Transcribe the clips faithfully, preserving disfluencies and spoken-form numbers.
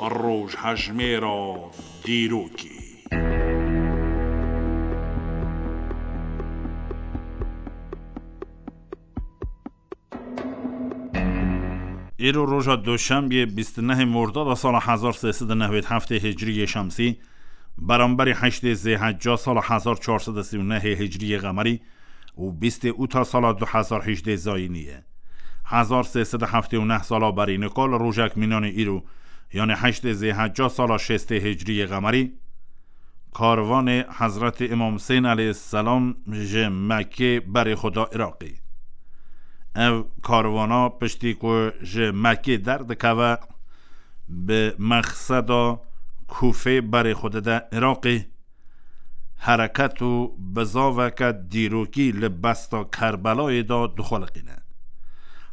Rojhejmêra dîrokê. Îro roja Duşembiyê bîst û nehê Mordada sala hezar sê sed û newêd heftê Hicriyê Şemsî, beramberî heştê Zêhecca sala hezar çar sed û sî û nehê Hicriyê Qemerî û bîstê Ûta sala du hezar hejdê Zayînî ye. Hezar sê sed û heftê û neh sala berî nika li rojek mînanê îro, yanê heştê Zêhecca sala şêstê Hicriyê Qemerî, karvanê Hezretî Îmam Husên aleyhisselam ji Mekkê berê xwe da Iraqê. Ev karvana piştî ku ji Mekkê derdikeve, bi mexseda Kûfê berê xwe dide Iraqê, hereket û bizaveke dîrokî li besta Kerbelayê de dixweliqîne.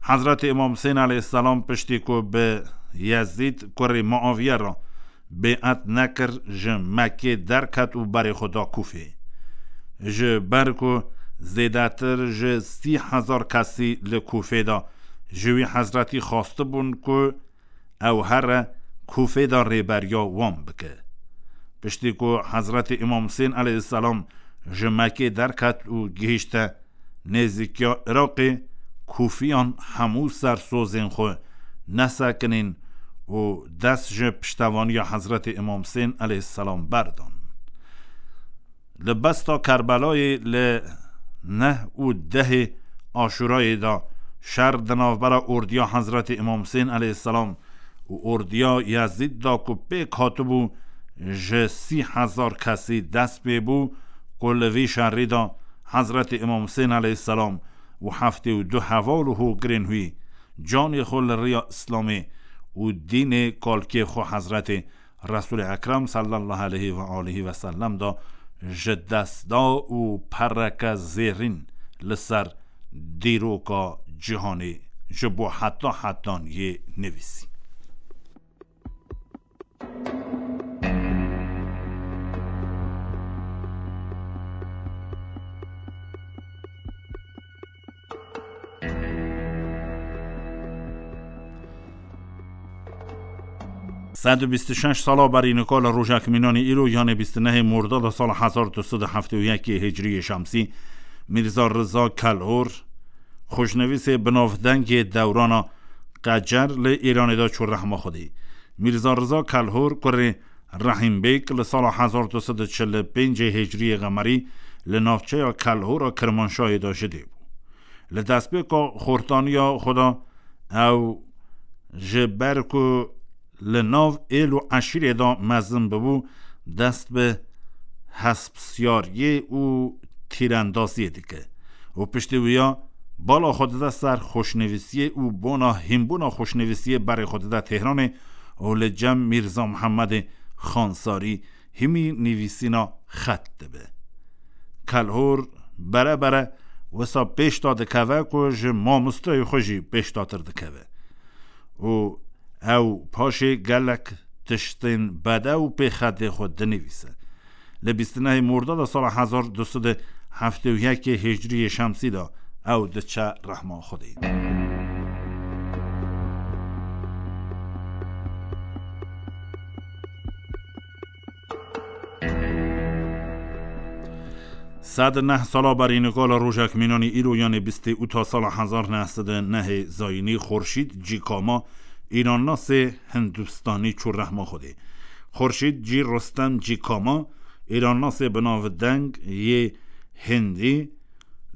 Hezretî Îmam Husên aleyhisselam piştî ku bi Yezîd kurê Muaviye re bê'et nekir, ji Mekkê derket û berê xwe da Kûfê. Ji ber ku zêdetir ji sî hezar kesî li Kûfê de ji wî Hezretî xwestibûn ku ew here Kûfê de rêberiya wan bike. Piştî ku Hezretî Îmam Husên aleyhisselam ji Mekkê derket û gihîşte nêzîkiya Iraqê, Kûfiyan hemû ser sozên xwe nesekinîn û dest ji piştevaniya Hezretî Îmam Husên aleyhisselam berdan. Li besta Kerbelayê li neh û dehê Aşûrayê de şer di navbera ordiya Hezretî Îmam Husên aleyhisselam û ordiya Yezîd de ku pêk hatibû ji sî hezar kesî dest pê bû, ku li vî şerî de Hezretî Îmam Husên aleyhisselam û heftê û du heval û hogirên wî canê xwe li riya Îslamê û dînê kalkê xwe Hezretê Resûlê Ekrem sallallahu aleyhi ve aleyhi ve sellem de ji dest da û pereke zêrîn li ser dîroka cîhanê ji bo heta hetan yê nivîsî. Sed û bîst û şeş sala berî nika li rojek mînanî îro, yanê bîst û nehê Mordada sala hezar du sed û heftê û yekê Hicriyê Şemsî, Mîrza Riza Kelhor, xweşnivîsê binavdengê dewrana Qecer li Îranê de çû rehma Xwedê. Mîrza Riza Kelhor kurê Rehîm Bêg li sala hezar du sed û çil û pêncê Hicriyê Qemerî li navçeya Kelhora Kirmanşahê de ji dê bû. Li destpêka xortaniya xwe de ew ji ber ku li nav êl û eşîrê de mezin bibû, dest bi hespsiyariyê û tîrendaziyê dike û piştî wiya bala xwe dide ser xweşnivîsiyê û bona hînbûna xweşnivîsiyê berê xwe dide Tehranê û li cem Mîrza Mihemedê Xansarî hîmî nivîsîna xet dibe. Kelhor bere bere wisa pêşda dikeve ku ji mamosteyê xwe jî pêşdatir dikeve û ew paşê gelek tiştên bede û pê xetê xwe dinivîse. Li bîst û nehê Mordada sala hezar du sed û heftê û yekê Hicriyê Şemsî de ew diçe rehma Xwedê. Sed û neh sala berî nika li rojek mînanî îro, yanê bîstê Ûta sala hezar neh sed û nehê Zayînî, Xurşîd Cîkama, îrannasê Hindistanî çû rehma Xwedê. Xurşîd Cî Rustem Cîkama, îrannasê binavdeng yê Hindî,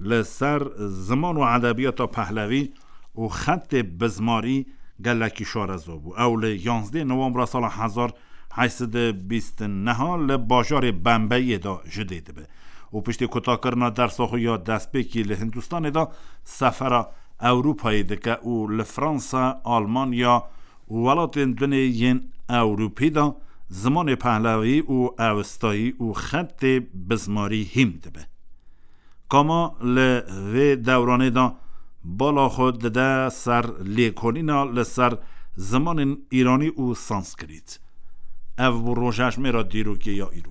li ser ziman û edebiyata Pehlevî û xetê bizmarî gelekî şareza bû. Ew li yanzdê Nowembra sala hezar heşt sed û bîst û neh li bajarê Bembeyê de ji dê dibe û piştî kutakirina dersa xwe ya destpêkî li Hindistanê de sefera Ewropayê dike û li Fransa, Almanya û welatên dinê yên Ewropî de zimanê Pehlevî û Ewistayî û xetê bizmarî hîm dibe. Kama li vê dewranê de bala xwe dide ser lêkolîna li ser zimanên îranî û sanskrit. Ev bû rojejmêra dîrokê ya îro.